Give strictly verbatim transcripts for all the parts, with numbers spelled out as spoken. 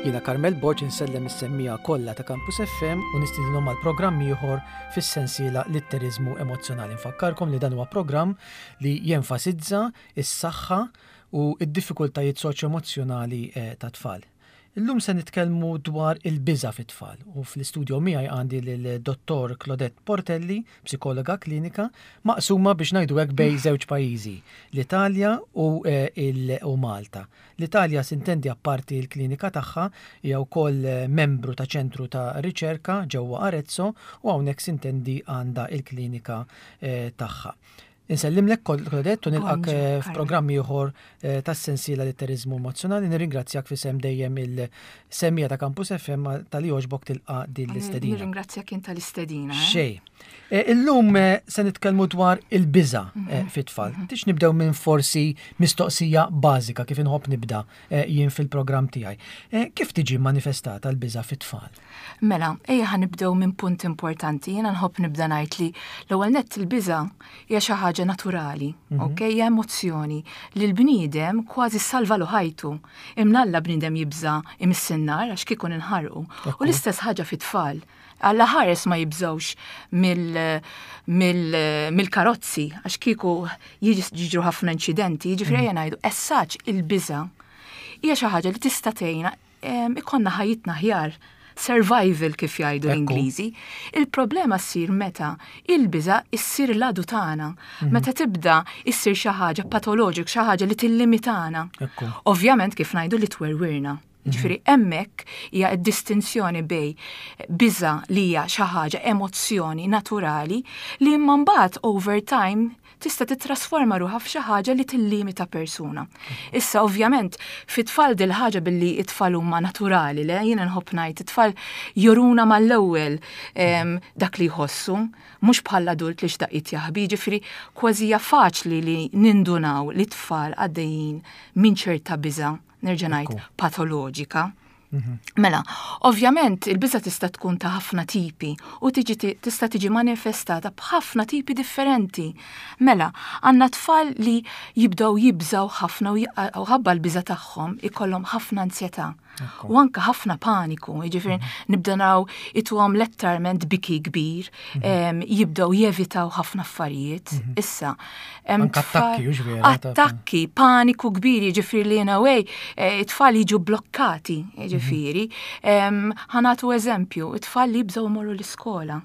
Jiena Carmel Borg insellem is-semmiegħa kollha ta' Campus F M u nistidinhom għal programm ieħor fis-sensiela Litteriżmu Emozzjonali. Nfakkarkom li dan huwa programm li jenfasizza is-saħħa u d-diffikultajiet soċjo-emozzjonali eh, ta' tfal. Illum se nitkellmu dwar il-biża fit-tfal u fl-istudio miegħi għandi lil Dottor Claudette Portelli, psikologa klinika, maqsuma biex ngħidu hekk bejn żewġ pajjiżi, l-Italja u, eh, il- u Malta. L-Italja, sintendi, apparti l-klinika tagħha hija wkoll eh, membru ta' ċentru ta' riċerka ġewwa Arezzo u hawnhekk, sintendi, għandha il-klinika eh, tagħha. Insellimlek, Claudette, u nilqak Bonġu, eh, Carmel. f'programmi ieħor eh, tas-sensiela Litteriżmu Emozzjonali. Nirringrazzjak f'isem dejjem il-semmiegħa ta' Campus F M talli għoġbok tilqa' din l-istedina. Nirringrazzjak int tal-istedina. eh. Xej. Eh, Illum eh, se nitkellmu dwar il-biża eh, fit-tfal. Tix nibdew minn forsi mistoqsija bażika kif inħobb nibda eh, jien fil-programm tiegħi. Eh, Kif tiġi manifestata l-biża fit-tfal? Mela, ejja ħa nibdew minn punt importanti. Jiena nħobb nibda ngħid li l-ewwel nett il-biża hija xi ħaġa naturali, ok? Hija emozzjoni li l-bniedem kważi salvalu ħajtu. Imnalla bniedem jibża imiss in-nar għax kieku ninħarqu. U l-istess ħaġa fit-tfal. Alla ħares ma jibżawx mill-karozzi, għax kieku jiġru ħafna inċidenti, jiġifieri ejja ngħidu, essaċ il-biża hija xi ħaġa li tista' tgħinna em, ikollna ħajjitna aħjar, survival kif jgħidu Ekku. l-Ingliżi. Il-problema ssir meta il-biża issir l-għadu tagħna, meta tibda issir xi ħaġa patoloġik, xi ħaġa li tillimitana. Ekku. Ovvjament, kif ngħidu, li twerwirna. Ġifieri hemmhekk hija d-distinzjoni bejn biża li hija xi ħaġa emozzjoni naturali li imma mbagħad over time tista' titrasforma ruħha f'xi ħaġa li tillimita persuna. Issa, ovvjament, fit-tfal dil ħaġa billi it-tfal huma naturali, le jiena nħobb ngħid it-tfal juruna mal-ewwel em, dak li jħossu, mhux bħal adult li x'daqqiet jaħbi, ġifieri kważi hija faċli li nindunaw li t-tfal għaddejjin minn ċerta biża, nerġa' ngħid, Ekku. patoloġika. Mela, ovvjament il-biża tista' tkun ta' ħafna tipi u tiġi tista' tiġi manifestata b'ħafna tipi differenti. Mela, għandna tfal li jibdew jibżaw ħafna u j- u ħabba l-biża tagħhom ikollhom ħafna ansjetà. U anka ħafna paniku, jiġifieri nibda naraw ituhom letteralment biki kbir, em, jibdew jevitaw ħafna affarijiet. Issa, hemm Anka tfal- attakki, hux vera, ta' Attakki, paniku kbir, jiġifieri li in a way, eh, it-tfal jiġu blokkati, jiġifieri. Em, Ħa nagħtu eżempju, it-tfal li jibżgħu jmorru l-iskola.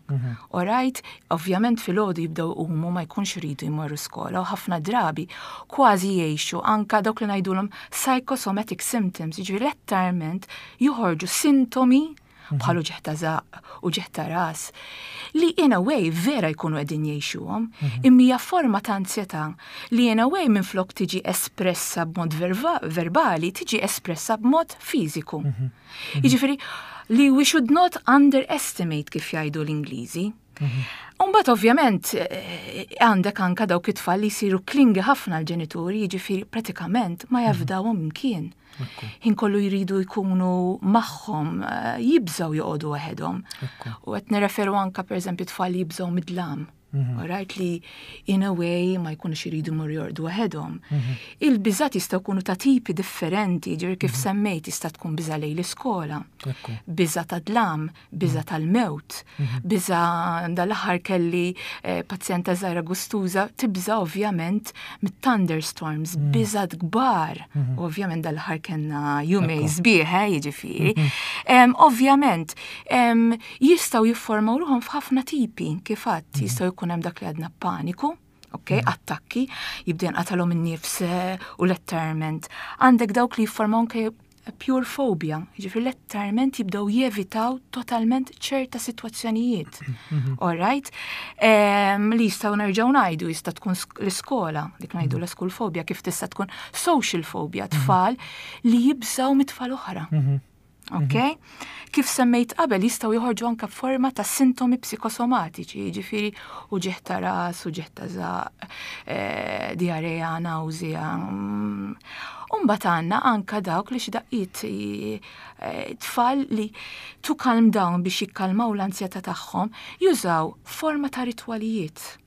Alright, ovvjament filgħodu jibdew umu ma jkunx iridu jmorru skola u ħafna drabi kważi jgħixu anka dawk li ngħidulhom psychosomatic symptoms, jiġifieri letteralment joħorġu sintomi bħal uġigħ ta' żaqq u uġigħ ta' ras li in a way vera jkunu qegħdin jgħixuhom, imma hija forma ta' ansjetà li in a way minflok tiġi espressa b'mod verba verbali, tiġi espressa b'mod fiżiku. Jiġifieri li we should not underestimate, kif jgħidu l-Ingliżi. Umbagħad ovvjament eh, għandek anka dawk it-tfal li jsiru clingy ħafna l-ġenituri, jiġifieri pratikament ma jafdawhom imkien. Ħin kollu jridu jkunu magħhom, eh, jibżaw joqogħdu waħedhom. U qed nirreferu anka, pereżempju, tfal li jibżaw mid-dlam. Alright, li in a way ma jkunux jridu jmorru jorqdu waħedhom. Il-biżat jistgħu jkunu ta' tipi differenti, ġifieri kif semmejt tista' tkun biża lejn l-iskola, Ekku. biża ta' dlam, biża tal-mewt, biża dal-aħħar kelli eh, pazjenta żgħira gustuża tibża ovvjament mit-thunderstorms, biżat kbar. Ovvjament dal-aħħar kellna jumejn sbieħ, eh, jiġifieri. Em, Ovvjament em, jistgħu jiffurmaw ruħhom f'ħafna tipi, kif għadt, jistgħu jkun hemm dak li għadna paniku, ok, attakki, jibda jinqatalhom in-nifs eh, u letteralment. Għandek dawk li jiffurmaw anke pure phobia, jiġifieri letteralment jibdew jevitaw totalment ċerta sitwazzjonijiet. All right? Em, li jistgħu nerġgħu ngħidu jista' tkun sk- l-iskola, dik ngħidu l-school phobia, kif tista' tkun social phobia, tfal li jibżaw mit-tfal oħra. Ok? Kif semmejt qabel, jistgħu joħorġu anka forma ta' sintomi psikosomatiċi, jiġifieri uġigħ ta' ras, uġigħ ta' żaqq, eh, diarrea, nawżija. Mm. Umbagħad għandna anka dawk li xi daqqiet eh, tfal li to calm down, biex jikkalmaw l-ansjetà tagħhom, jużaw forma ta' ritwalijiet.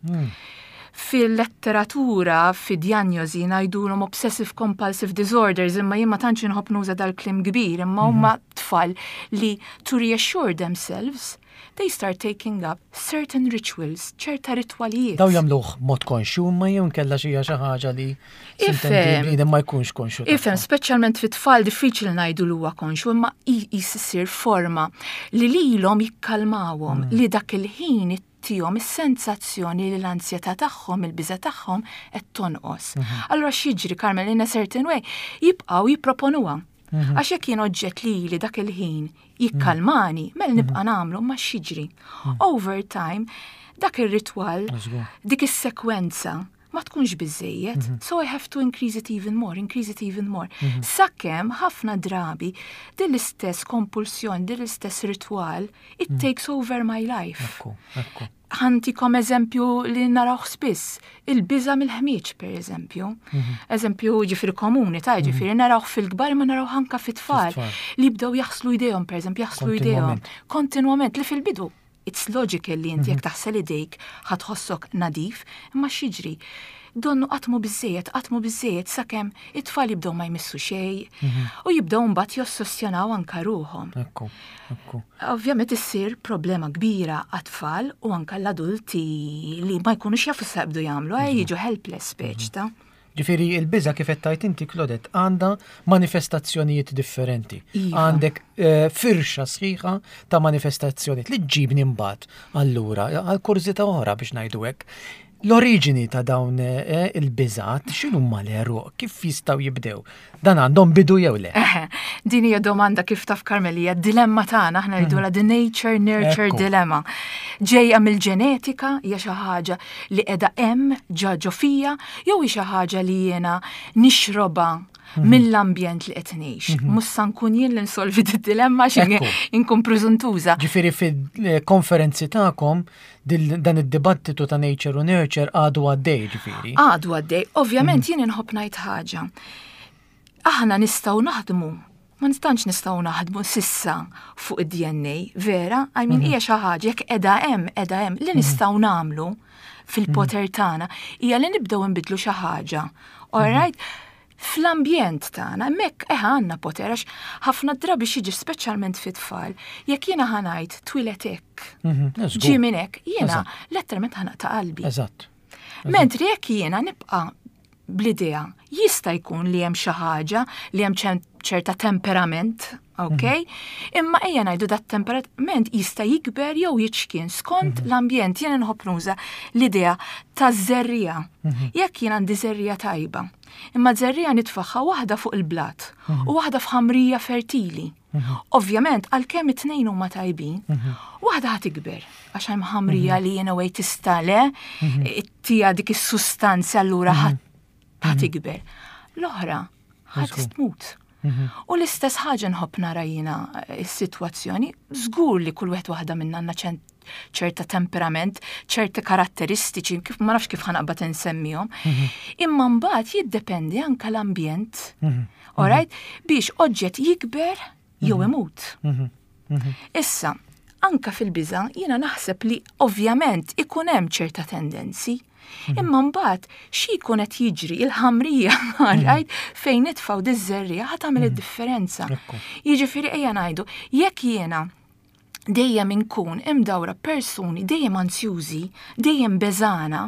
Fil-letteratura, fi diagnosi ngħidulhom obsessive compulsive disorders, imma jien ma tantx inħobb nuża dal-kliem kbir, imma huma tfal tfal li to reassure themselves, they start taking up certain rituals, ċerta ritwalijiet. Daw jagħmluh mod konxju ma jew nkella xi xi ħaġa li Ifhem. ma jkunx konxju. Ifhem, speċjalment fit-tfal diffiċli ngħidu li huwa konxju, imma jissir forma li lilhom jikkalmawhom mm. li dak il-ħin tihom is-sensazzjoni li l-ansjetà tagħhom, il-biża tagħhom qed tonqos. Mhm. Allura x'jiġri Carmel in a certain way jibqgħu jipproponuha. Mhm. Għax jekk jien oġġett li li dak il-ħin jikkalmani, mela mhm. nibqa' nagħmlu ma x'jiġri. Over time, dak ir-ritwal, dik is-sekwenza ma tkunx biżejjed, mm -hmm. so I have to increase it even more, increase it even more. Mm -hmm. Sakemm ħafna drabi din l-istess kompulsjon, din l-istess ritual, it mm -hmm. takes over my life. Ekku, ekku. Ħa ntikom eżempju li narawh spiss, il-biża mill-ħmieġ per eżempju. Mm -hmm. Eżempju ġifieri komuni, ta' mhm. ġifieri narawh fil-kbar ma narawh anka fit-tfal li jibdew jaħslu idejhom per eżempju, jaħslu idejhom kontinwament li fil-bidu it's logical li inti jekk mhm. taħsel idejk ħa tħossok nadif, imma x'jiġri? Donnu qatt mhu biżżejjed, qatt mhu biżżejjed sakemm it-tfal jibdew ma jmissu xejn mhm. u jibdew mbagħad jossessjonaw anka ruħhom. Ekku, ekku. Ovvjament issir problema kbira għat-tfal u anka l-adulti li ma jkunux jafu x'jibdew jagħmlu, mhm. jiġu helpless speċ ta' Ġifieri il-biża kif qed tgħid inti Claudette għandha manifestazzjonijiet differenti. Iva. Għandek eh, firxa sħiħa ta' manifestazzjonijiet li ġibni mbagħad allura għal kurżità oħra biex ngħidu hekk. L-oriġini ta' dawn eh, il-biżat x'inhuma l-għeruq, kif jistgħu jibdew? Dan għandhom bidu jew le? Din hija domanda kif taf Carmel hija dilemma tagħna aħna ngħidulha the nature nurture Ekku. dilemma. Ġejja mill-ġenetika hija xi ħaġa li qiegħda hemm ġa ġo fija jew hi xi ħaġa li jiena nixrobha mill-ambjent li qed ngħix. Mhux sa nkun jien li nsolvi d-dilemma xi Ekku. inkun preżuntuża. Ġifieri fil-konferenzi tagħkom dil- dan id-dibattitu ta' nature u nurture għadu għaddej ġifieri. Għadu għaddej, ovvjament jien inħobb ngħid ħaġa. Aħna nistgħu naħdmu, ma nistax nistgħu naħdmu s'issa fuq id-DNA, vera? I mean hija xi ħaġa jekk qiegħda hemm, qiegħda hemm li nistgħu nagħmlu fil-poter tagħna hija li nibdew nbidlu xi ħaġa. All right? Fl-ambjent tagħna, hemmhekk eħ għandna poter għax ħafna drabi xiġi speċjalment fit-tfal, jekk jiena ħa ngħid twielidt hekk, Mhm, żgur. ġie minn hekk, jiena Eżatt. letteralment ħa naqta' qalbi. Eżatt. Mentri jekk jiena nibqa' bl-idea jista' jkun li hemm xi ħaġa li hemm ċen- ċerta temperament, ok? Imma ejja ngħidu dat temperament jista' jikber jew jiċkien skont l-ambjent. Jiena nħobb nuża l-idea ta' żerriegħa. Jekk jien għandi żerriegħa tajba, imma żerriegħa nitfagħha waħda fuq il-blat u waħda f'ħamrija fertili. Ovvjament, għalkemm it-tnejn huma tajbin, waħda ħa tikber, għax hemm ħamrija li jiena way tista' le, tija dik is-sustanza allura ħa ħa tikber. L-oħra ħa tmut. U l-istess ħaġa nħobb nara jiena eh, is-sitwazzjoni, żgur li kull wieħed waħda minna għandna ċen- ċerta temperament, ċerti karatteristiċi, kif ma nafx kif ħa naqbad insemmihom. Imma mbagħad jiddependi anka l-ambjent. Alright? Biex oġġett jikber jew imut. Issa, anka fil-biża jiena naħseb li ovvjament ikun hemm ċerta tendenzi. Imma mbagħad xi jkun qed jiġri il-ħamrija right fejn nitfgħu diż-żerriegħa ħa tagħmel id-differenza. Ekku. Jiġifieri ejja ngħidu, jekk jiena dejjem inkun imdawra persuni dejjem ansjużi, dejjem beżana,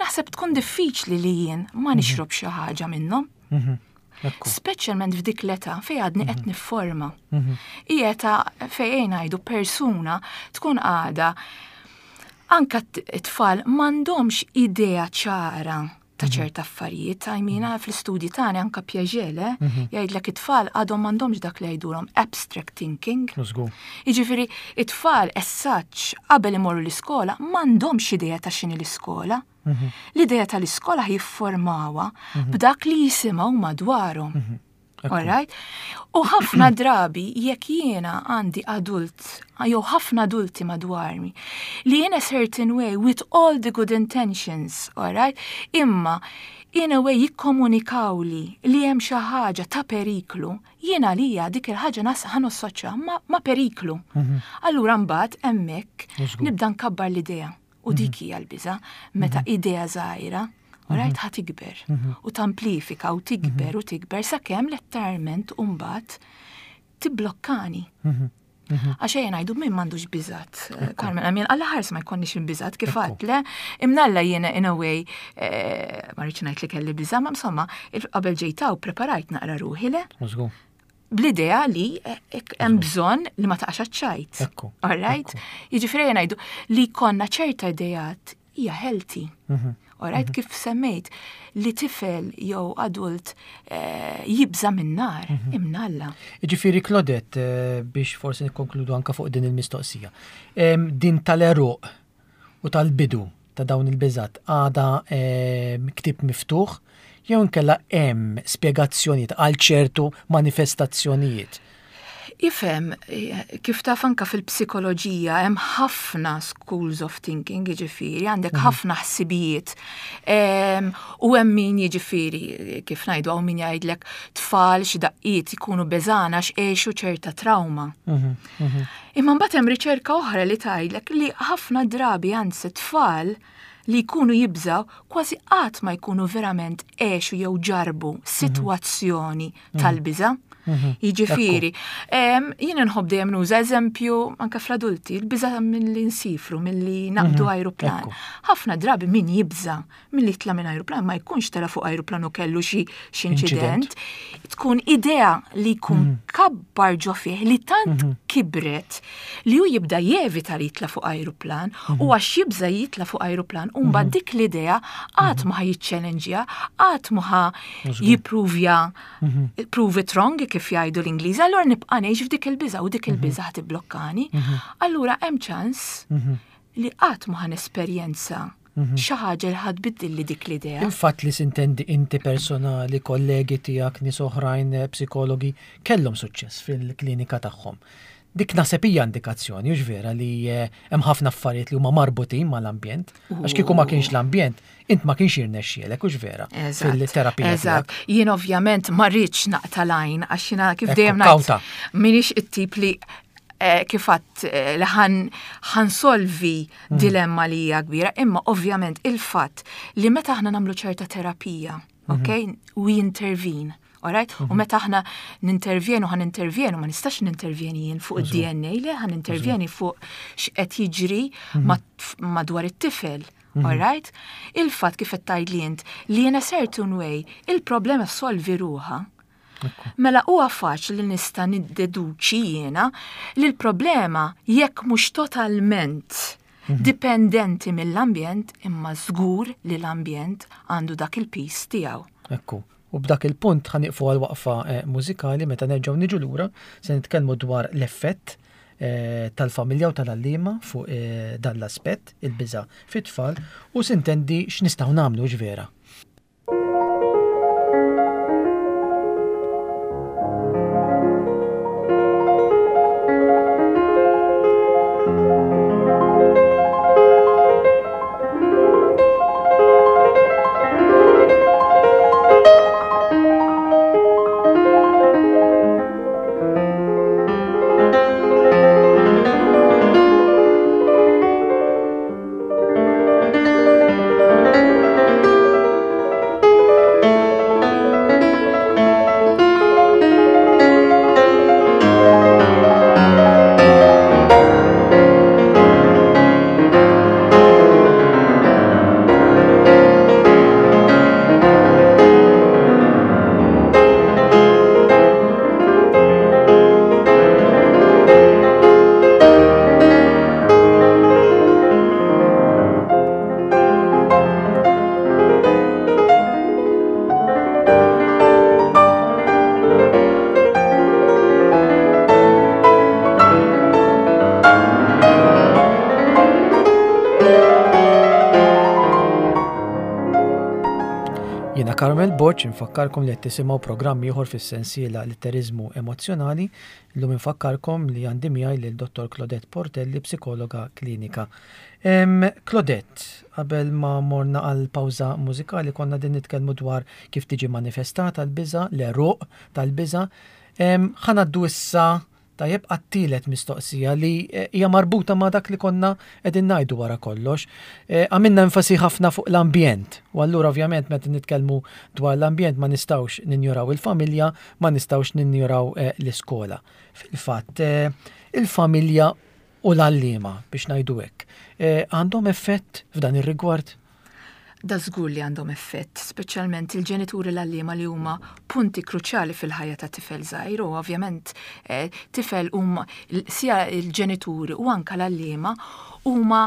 naħseb tkun diffiċli li jien ma nixrob xi ħaġa minnhom. Ekku. Speċjalment f'dik l-età fejn għadni qed nifforma. Hija età fejn ngħidu persuna tkun għada anka t-tfal m'għandhomx idea ċara ta' ċerta affarijiet, I mean, fl-istudji tagħna anka Piaget, le, jgħidlek it-tfal għadhom m'għandhomx dak li jgħidulhom abstract thinking. Żgur. Jiġifieri, it-tfal as such qabel imorru l-iskola m'għandhomx idea ta' x'inhi l-iskola. L-idea tal-iskola jifformawha b'dak li jisimgħu madwarhom. All right? U ħafna drabi jekk jiena għandi adult, jew ħafna adulti madwarni, li in a certain way with all the good intentions, all right? Imma in a way jikkomunikaw li li hemm xi ħaġa ta' periklu, jiena lija dik il-ħaġa nas ħa nassoċja ma, ma periklu. Allura mbagħad hemmhekk Żgur. nibda nkabbar l-idea. U dik hija l-biża, meta idea żgħira, Alright, ħa tikber u tamplifika u tikber u tikber sakemm letteralment mbagħad Tibblokkani. Għax ejja ngħidu min m'għandux biżat. Carmen, għamin għalla ħars ma jkollniex il-biżat kif għedt, le, imnalla jiena in a way, eh, ma rridx ngħid li kelli biża, ma insomma, qabel ġejt hawn preparajt naqra ruħi, le? Bl-idea li eh, hemm bżonn li ma taqax ċajt. All right? Jiġifieri ngħidu li konna ċerta ideat hija healthy. Mhm. Alright, mhm. kif semmejt li tifel jew adult eh, jibża minn nar, mhm. imnalla. Ġifieri Claudette, eh, biex forsi nikkonkludu anka fuq din il-mistoqsija. Din tal-eruq u tal-bidu ta' dawn il-biżat għada ktieb miftuħ jew inkella hemm spjegazzjonijiet għal ċertu manifestazzjonijiet? Ifhem, kif taf anka fil-psikoloġija hemm ħafna schools of thinking, jiġifieri, għandek mhm. ħafna ħsibijiet. U hemm min, jiġifieri, kif ngħidu, hawn min jgħidlek tfal xi daqqiet ikunu beżana x'għexu ċerta trauma. Mhm, mhm. Imma mbagħad hemm riċerka oħra li tgħidlek li ħafna drabi, anzi, tfal li jkunu jibżaw kważi qatt ma jkunu verament għexu jew ġarbu sitwazzjoni tal-biża'. Mhm. Jiġifieri, jien nħobb dejjem nuża eżempju anke fl-adulti, il-biża milli nsifru, milli naqbdu mhm. ajruplan. Ħafna drabi min jibża milli jitla' minn ajruplan ma jkunx tela' fuq ajruplan u kellu xi inċident. Tkun idea li jkun mhm. kabbar ġo fih li tant kibret li hu jibda jevita li jitla' fuq ajruplan u għax jibża jitla' fuq ajruplan u mbagħad dik l-idea qatt ma ħa jiċċellenġja, qatt ma ħa jippruvja prove it wrong kif jgħidu l-Ingliż, allura nibqa' ngħix f'dik il-biża u dik il-biża ħa tibblokkani. Allura hemm ċans li qatt ma ħa nesperjenza xi ħaġa li ħa tbiddilli dik l-idea. Il-fatt li sintendi inti personali, kollegi tiegħek, nies oħrajn, eh, psikologi, kellhom suċċess fil-klinika tagħhom. Dik naħseb hija indikazzjoni, hux vera, li eh, hemm ħafna affarijiet li huma marbutin mal-ambjent. Għax kieku ma kienx l-ambjent, int ma kienx jirnexxielek, hux vera, fil-terapija Eżatt. Jien ovvjament ma rridx naqta' l-għajn għax jiena kif dejjem ngħid m'iniex it-tip li eh, kif għedt eh, li ħa nsolvi mm. dilemma li hija kbira, imma ovvjament il-fatt li meta aħna nagħmlu ċerta terapija, mhm. ok, we intervene. Alright? U mhm. meta aħna nintervjenu, ħa nintervjenu, ma nistax nintervjeni jien fuq id-D N A, le, ħa nintervjeni fuq x'qed jiġri mhm. madwar it-tifel. Mhm. Alright? Il-fatt kif qed tgħidli int li in a certain way il-problema solvi ruħha. Mela huwa faċli li nista' niddeduċi jiena li l-problema, jekk mhux totalment dipendenti mill-ambjent, imma żgur li l-ambjent għandu dak il-piż tiegħu. Ekku. U b'dak il-punt ħa nieqfu għal waqfa eh, mużikali. Meta nerġgħu niġu lura se nitkellmu dwar l-effett eh, tal-familja u tal-għalliema fuq eh, dan l-aspett, il-biża fit-tfal, u sintendi x'nistgħu nagħmlu, vera. Jiena Carmel Borg, infakkarkom li qed tisimgħu programm ieħor fis-sensiela Litteriżmu Emozzjonali. Illum infakkarkom li għandi miegħi lil Dottor Claudette Portelli, psikologa klinika. Em, Claudette, qabel ma morna għal pawża mużikali konna din nitkellmu dwar kif tiġi manifestata l-biża, l-eruq tal-biża. Ħa ngħaddu issa Tajjeb, għat-tielet mistoqsija li eh, hija marbuta ma' dak li konna qegħdin ngħidu wara kollox. Eh, għamilna enfasi ħafna fuq l-ambjent. U allura ovvjament meta nitkellmu dwar l-ambjent ma nistgħux ninjoraw il-familja, ma nistgħux ninjoraw eh, l-iskola. Fil-fatt, il-familja u l-għalliema, biex ngħidu hekk, għandhom effett f'dan ir-rigward? Da żgur li għandhom effett, speċjalment il-ġenituri, l-għalliema, li huma punti kruċjali fil-ħajja ta' tifel żgħir u ovvjament eh, tifel huma sija il-ġenituri u anka l-għalliema huma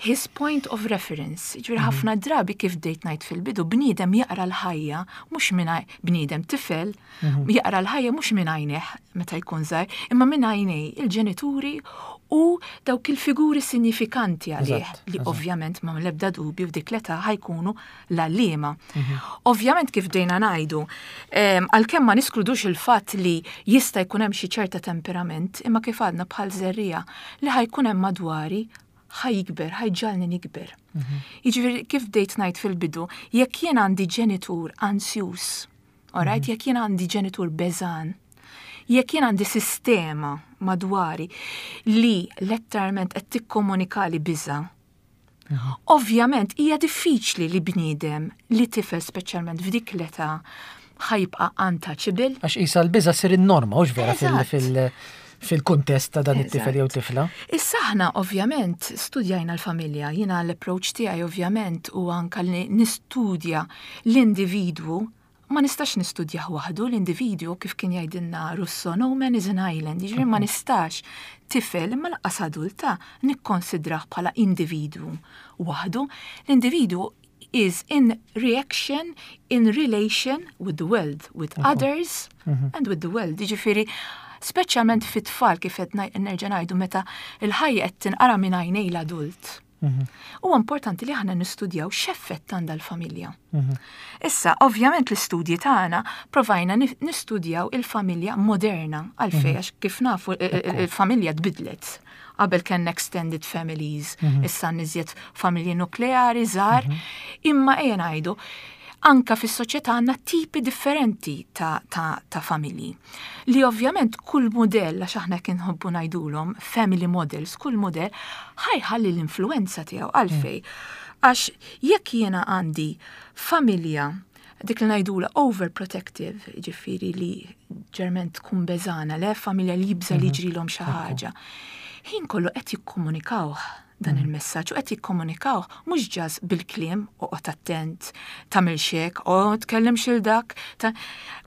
his point of reference. Ġifieri mhm. ħafna drabi, kif bdejt ngħid fil-bidu, bniedem jaqra l-ħajja mhux minn bniedem, tifel mhm. jaqra l-ħajja mhux minn għajnejh meta jkun żgħir, imma minn għajnej il-ġenituri u dawk il-figuri sinifikanti għalih li ovvjament ma l-ebda dubju f'dik l-età ħa jkunu l-għalliema. Mhm. Ovvjament, kif bdejna ngħidu, għalkemm ma niskludux il-fatt li jista' jkun hemm xi ċerta temperament, imma kif għadna, bħal żerriegħa li ħa jkun hemm madwari ħa jikber, ħa jġagħalni nikber. Mhm. Jiġifieri kif bdejt ngħid fil-bidu, jekk jien għandi ġenitur ansjus, alright, mhm. jekk jien għandi ġenitur beżgħan, jekk jien għandi sistema madwari li letteralment qed tikkomunikali biża', mhm. ovvjament hija diffiċli li bniedem, li tifel speċjalment f'dik l-età, ħa jibqa' untouchable. Għax issa l-biża' ssir in-norma, hux vera, fil- fil-kuntest ta' dan it-tifel jew tifla? Issa aħna ovvjament studjajna l-familja, jiena l-approach tiegħi ovvjament u anka li nistudja l-individwu, ma nistax nistudjah waħdu l-individwu. Kif kien jgħidilna Rousseau, "No man is an island", jiġifieri ma nistax tifel, imma lanqas adulta, nikkonsidrah bħala individwu waħdu. L-individwu is in reaction, in relation with the world, with others mhm. and with the world. Jiġifieri, speċjalment fit-tfal, kif qed nerġa' ngħidu, meta il-ħajja qed tinqara minn għajnej l-adult. Mhm. Huwa importanti li aħna nistudjaw x'effett għandha l-familja. Mhm. Issa, ovvjament l-istudji tagħna provajna nistudjaw il-familja moderna, għalfejn, mhm. għax kif nafu il-familja tbidlet. Qabel kien extended families, issa iżjed familji nukleari żgħar, imma ejja ngħidu anka fis-soċjetà għandna tipi differenti ta', ta, ta' familji. Li ovvjament kull modell, għax aħna kien nħobbu ngħidulhom family models, kull modell ħa jħalli l-influenza tiegħu. Għalfejn? Għax jekk jiena għandi familja dik li ngħidula overprotective, ġifieri li ġerment tkun beżgħana, le familja li jibża li mhm. jiġrilhom xi ħaġa. Ħin kollu qed jikkomunikaw dan mm. il-messaġġ u qed jikkomunikaw mhux just bil-kliem, "Oqgħod attent, tagħmel hekk, o tkellimx lil dak".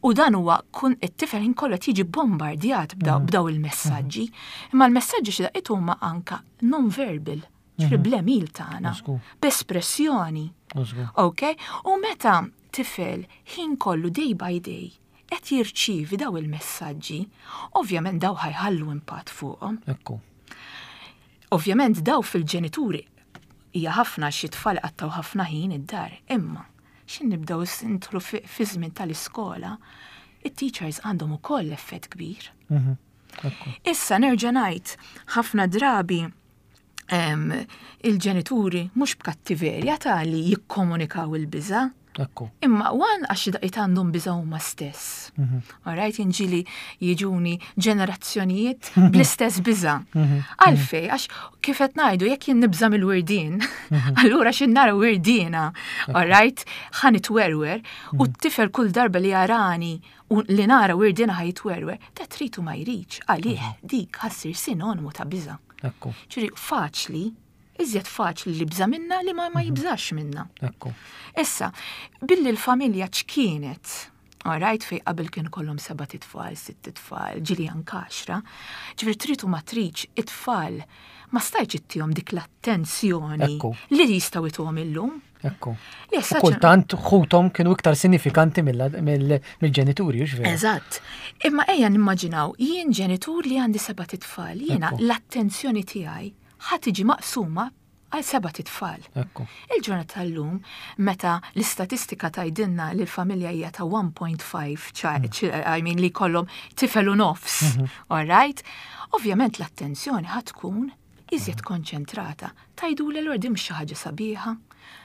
U dan huwa kun it-tifel ħin kollu qed jiġi bombardjat mm. b'daw il-messaġġi. Imma l-messaġġi xi daqqiet huma anka non-verbal, ġifieri mm-hmm. bl-għemil tagħna, b'espressjoni. Ok? U meta tifel ħin kollu, day by day, qed jirċievi daw il-messaġġi, ovvjament daw ħa jħallu impatt fuqhom. Ekku. Ovvjament daw fil-ġenituri hija ħafna, xi tfal qattgħu ħafna ħin id-dar, imma xin nibdew nidħlu fi żmien tal-iskola, it-teachers għandhom ukoll effett kbir. Mhm. Issa nerġa' ngħid, ħafna drabi il-ġenituri mhux b'kattiverja ta' li jikkomunikaw il-biża'. Ekku. Imma wan għax daqqiet għandhom biża' huma stess. Mhm. Alright, ġieli jiġuni ġenerazzjonijiet bl-istess biża'. Mhm. Għalfejn, għax kif qed ngħidu, jekk jien nibża' mill-wirdien, allura x'ħin nara wirdiena, alright, ħa nitwerwer, u t-tifel kull darba li jarani u li nara wirdiena ħa jitwerwer, ta' tritu ma jridx, għalih dik ħa ssir sinonimu ta' biża'. Ekku. Ġifieri faċli, iżjed faċli li jibża' minna li ma, ma jibżax minna. Ekku. Issa, billi l-familja ċkienet, alright, fej qabel kien kollhom seba' titfal, sitt tfal, ġieli anka għaxra, ġifieri tritu ma tridx, it-tfal ma stajtx ittihom dik l-attenzjoni Ekku. li jistgħu ituhom illum. Ekku. Li U issa kultant ħuthom kienu iktar sinifikanti mill- mill- mill-ġenituri, hux vera? Eżatt. Imma ejja nimmaġinaw, jien ġenitur li għandi seba' titfal, jiena Ekku. l-attenzjoni tiegħi ħa tiġi maqsuma għal seba' titfal. Ekku. Il-ġurnata tal-lum, meta l-istatistika tgħidilna li l-familja hija ta' wieħed punt ħamsa, ċa- I mean li kollhom tifel u nofs, all right? Ovvjament l-attenzjoni ħa tkun iżjed konċentrata. Tgħidu li l mhux xi ħaġa sabiħa.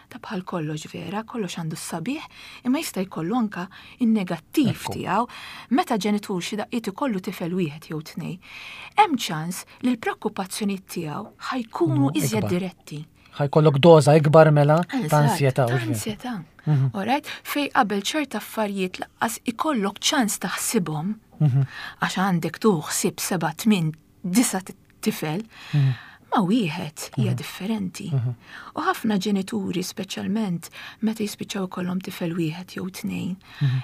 Ta' bħal kollox vera, kollox għandu s-sabiħ, imma jista' jkollu anka in-negattiv Ekku. tiegħu. Meta ġenitur xi daqqiet ikollu tifel wieħed jew tnejn, hemm ċans li l-preokkupazzjonijiet tiegħu ħa jkunu No, iżjed ikbar. diretti. Ħa jkollok doża ikbar mela ta' Eżatt, ansjetà. Ta' u x'vera. ansjetà. Alright? Fej qabel ċerta affarijiet lanqas ikollok ċans taħsibhom, għax għandek tu ħsib seba' tmien disa' tifel, ma wieħed hija differenti. U ħafna ġenituri, speċjalment meta jispiċċaw ikollhom tifel wieħed jew tnejn,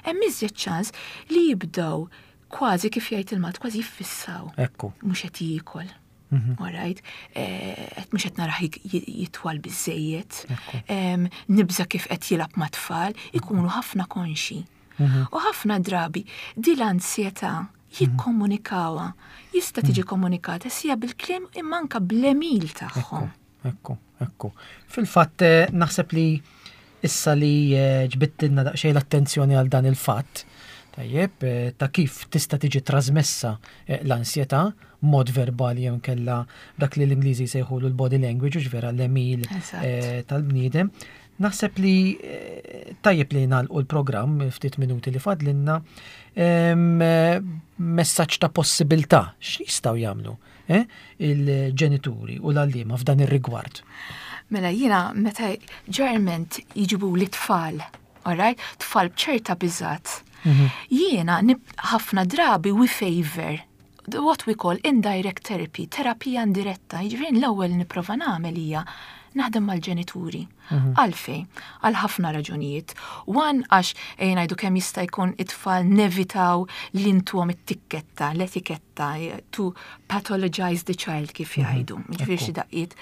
hemm iżjed ċans li jibdew kważi, kif jgħid il-Malti, kważi jiffissaw. Ekku. Mhux qed jiekol. Alright, eh, qed mhux qed narah jik- jitwal biżejjed, em, nibża kif qed jilgħab ma' tfal, ikunu ħafna konxi. U ħafna drabi di l-ansjetà jikkomunikawha. Jista' tiġi komunikata sija bil-kliem imma anka bl-għemil tagħhom. Ekku, ekku. Fil-fatt eh, naħseb li issa li eh, ġbittilna daqsxejn l-attenzjoni għal dan il-fatt, tajjeb, eh, ta' kif tista' tiġi trasmessa eh, l-ansjetà mod verbali jew kella dak li l-Ingliżi jsejħulu l-body language, u vera l-għemil Eżatt. eh, tal-bniedem. Naħseb li eh, tajjeb li nagħlqu l-programm ftit minuti li fadlinna em, eh, messaġġ ta' possibilità x'jistgħu jagħmlu eh, il-ġenituri u l-għalliema f'dan ir-rigward. Mela jiena meta ġeneralment jiġibu li tfal, alright? Tfal b'ċerta biżat. Jiena nib- ħafna drabi we favor what we call indirect therapy, terapija indiretta. Jiġifieri l-ewwel nipprova nagħmel hija naħdem mal-ġenituri. Għalfejn? Għal ħafna raġunijiet. One, għax ejja ngħidu kemm jista' jkun it-tfal nevitaw li ntuhom it-tikketta, l-etiketta, to pathologize the child, kif jgħidu. Jiġifieri xi daqqiet.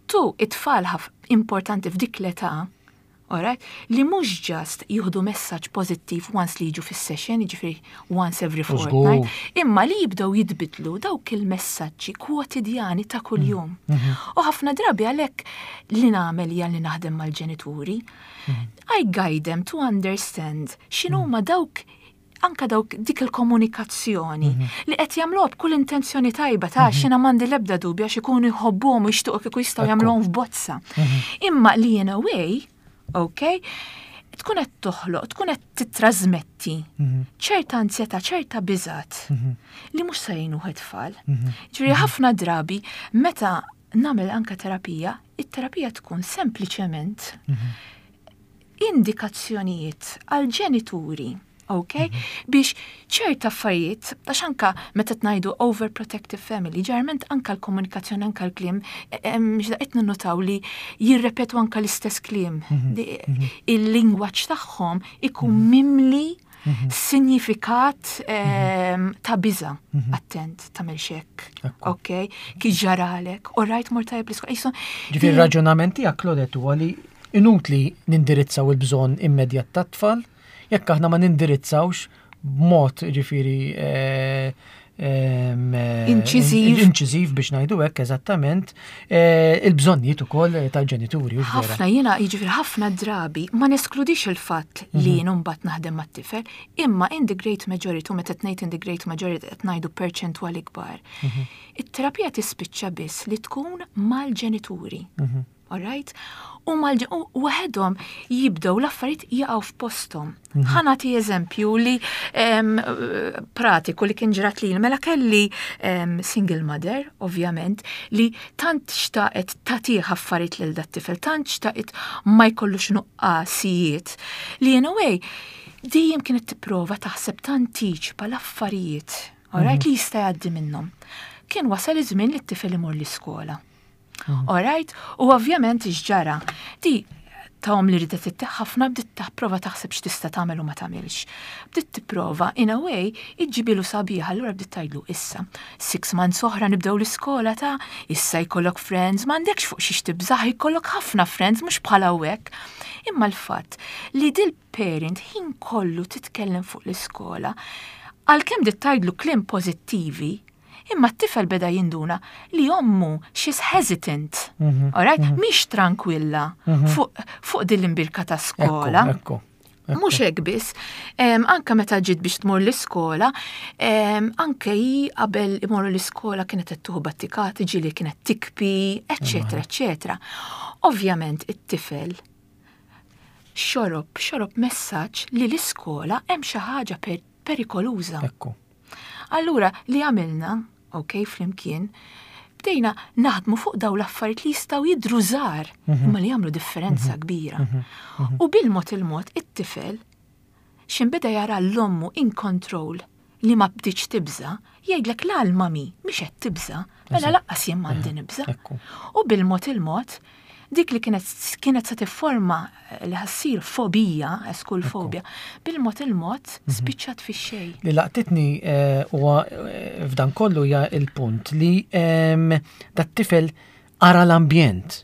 Tu, it-tfal ħaf importanti f'dik l-età, alright, li mhux just jieħdu messaġġ pożittiv once li jiġu fis-session, jiġifieri once every fortnight, imma li jibdew jitbidlu dawk il-messaġġi kwotidjani ta' kuljum. U ħafna drabi għalhekk li nagħmel hija li naħdem mal-ġenituri. I guide them to understand x'inhuma dawk anka dawk dik il-komunikazzjoni li qed jagħmluha b'kull intenzjoni tajba ta' xina m'għandi l-ebda dubju għax ikunu jħobbuhom u jixtiequ kieku jistgħu jagħmluhom f'bozza. Imma li in a way, ok, tkun qed toħloq, tkun qed titrasmetti ċerta ansjetà, ċerta biżat li mhux se jgħinu it-tfal. Ġifieri ħafna drabi meta nagħmel anka terapija, it-terapija tkun sempliċement indikazzjonijiet għal ġenituri, ok? Biex ċerta affarijiet, għax anka meta tnajdu overprotective family, ġeneralment anka l-komunikazzjoni, anka l-kliem, qed ninnotaw li jirrepetu anka l-istess kliem. Di- Il-lingwaġġ tagħhom ikun mimli sinifikat em, ta' biża. Attent, tagħmel hekk. Ekku. Ok? Kif ġaralek, u rajt mort tajjeb l-iskola. Jisu, Ġifieri raġunament tiegħek, Claudette, huwa li inutli nindirizzaw il-bżonn immedjat tat-tfal jekk aħna ma nindirizzawx b'mod ġifieri eh, em, eh, Inċiżiv. inċiżiv biex ngħidu hekk eżattament eh, il-bżonnijiet ukoll tal-ġenituri, hux vera? ħafna jiena, jiġifieri ħafna drabi ma neskludix il-fatt li jien mbagħad naħdem mat-tifel, imma in the great majority, u meta ngħid in the great majority qed ngħidu perċentwali kbar. It-terapija tispiċċa biss li tkun mal-ġenituri. Alright? U mal u waħedhom jibdew l-affarijiet jaqgħu f'posthom. Ħa nagħti eżempju li em, pratiku li kien ġrat li mela kelli em, single mother, ovvjament, li tant xtaqet tagħtih affarijiet lil dat-tifel, tant xtaqet ma jkollux nuqqasijiet, li in a way dejjem kienet tipprova taħseb tantiċipa l-affarijiet, alright, li jista' jgħaddi minnhom. Kien wasal iż-żmien li t-tifel imur l-iskola. Alright? U ovvjament x'ġara? Di ta' li ridet ittih ħafna bdiet tipprova taħseb x'tista' tagħmel u ma tagħmilx. Bdiet tipprova in a way iġġibilu sabiħa, allura bdiet tgħidlu: "Issa, six months oħra nibdew l-iskola ta' issa jkollok friends, m'għandekx fuq xiex tibżaħ, jkollok ħafna friends, mhux bħala hekk." Imma l-fatt li dil parent ħin kollu titkellem fuq l-iskola, għalkemm bdiet tgħidlu kliem pożittivi, imma t-tifel beda jinduna li ommu she's hesitant, alright? Mhix tranquilla fuq fuq din l-imbirka ta' skola. Ekku, ekku. Mhux hekk biss, anke meta ġiet biex tmur l-iskola, anke hi qabel imorru l-iskola kienet qed tieħu battikati, ġieli kienet tibki, eċetera, eċetera. Ovvjament it-tifel xorob, xorob messaġġ li l-iskola hemm xi ħaġa perikoluża. Ekku. Allura li għamilna, ok, flimkien, bdejna naħdmu fuq daw l-affarijiet li jistgħu jidhru żgħar, mhm. imma li jagħmlu differenza mhm. kbira. Mhm. U bil-mod il-mod it-tifel x'ħin beda jara 'l ommu in control li ma bdietx tibża, jgħidlek la l-mami mhix qed tibża, mela lanqas jien m'għandi nibża. U bil-mod il-mod dik li kienet kienet se tifforma li ħa ssir fobija, school phobia, bil-mod il-mod mhm. spiċċat fix-xejn. Li laqtitni eh, huwa eh, f'dan kollu hija il-punt li dat-tifel ara l-ambjent.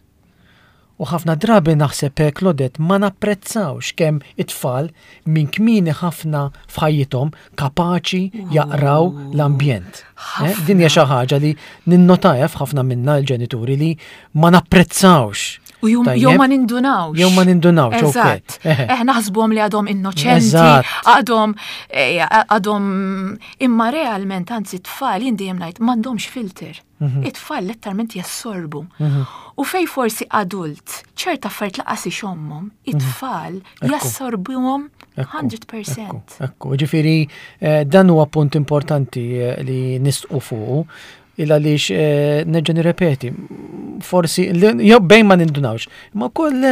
U ħafna drabi naħseb, eh, Claudette, ma napprezzawx kemm it-tfal minn kmieni ħafna f'ħajjithom kapaċi jaqraw l-ambjent. Eh, din hija xi ħaġa li ninnotaha f'ħafna minna l-ġenituri li ma napprezzawx. U jew ma nindunawx. Jew ma nindunawx. Eżatt. Eh, naħsbuhom li għadhom innoċenti, għadhom eh, għadhom imma realment, anzi, tfal jien dejjem ngħid m'għandhomx filter. Mhm. It-tfal letteralment jassorbu. Mhm. U fej forsi adult, ċerta affarijiet lanqas ixommhom, mhm. it-tfal jassorbuhom mija fil-mija. Ekku, ġifieri eh, dan huwa punt importanti eh, li nisħqu fuqu il għaliex eh, nerġa' nirrepeti, forsi jew bejn ma nindunawx, ma koll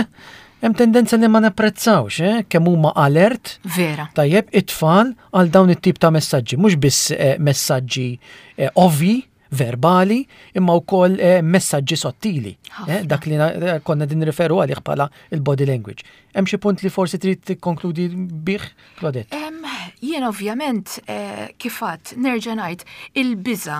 hemm tendenza li ma napprezzawx, eh, kemm huma alert. Vera. Tajjeb, it-tfal għal dawn it-tip ta' messaġġi, mhux biss messaġġi ovvi, verbali, imma wkoll eh, messaġġi sottili. Eh, dak li konna din referu għalih bħala il-body language. Hemm xi punt li forsi trid tikkonkludi bih, Claudette? Jien ovvjament eh, kif għedt, nerġa' ngħid il-biża,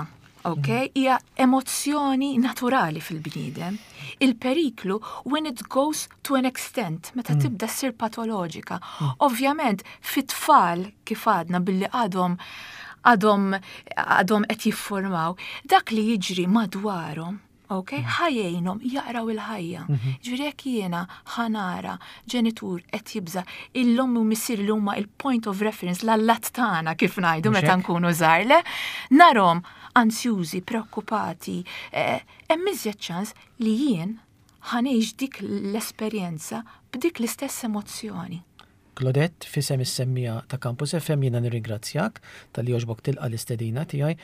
ok, mm. hija emozzjoni naturali fil-bniedem. Il-periklu when it goes to an extent, meta mm. tibda ssir patoloġika. Mm. Ovvjament, fit-tfal, kif għadna, billi għadhom għadhom għadhom qed jiffurmaw, dak li jiġri madwarhom, ok, mm. ħa jgħinhom jaqraw il-ħajja. Mhm. Ġifieri jekk jiena ħa nara ġenitur qed jibża, l-omm u missier li huma il-point of reference, l-allat tagħna kif ngħidu meta nkunu żgħar, narahom ansjużi, preokkupati, eh, hemm iżjed ċans li jien ħa ngħix dik l-esperjenza b'dik l-istess emozzjoni. Claudette, f'isem is-semmiegħa ta' Campus F M jiena nirringrazzjak talli għoġbok tilqa l-istedina tiegħi.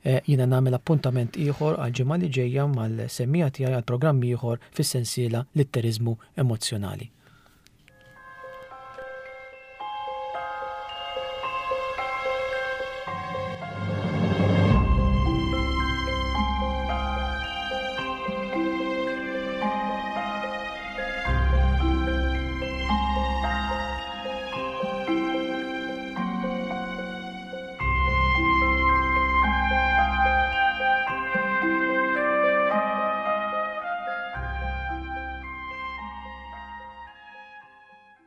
Eh, jiena nagħmel appuntament ieħor għal ġimgħa li ġejja mal-semmiegħa tiegħi għal programm ieħor fis-sensiela Litteriżmu Emozzjonali.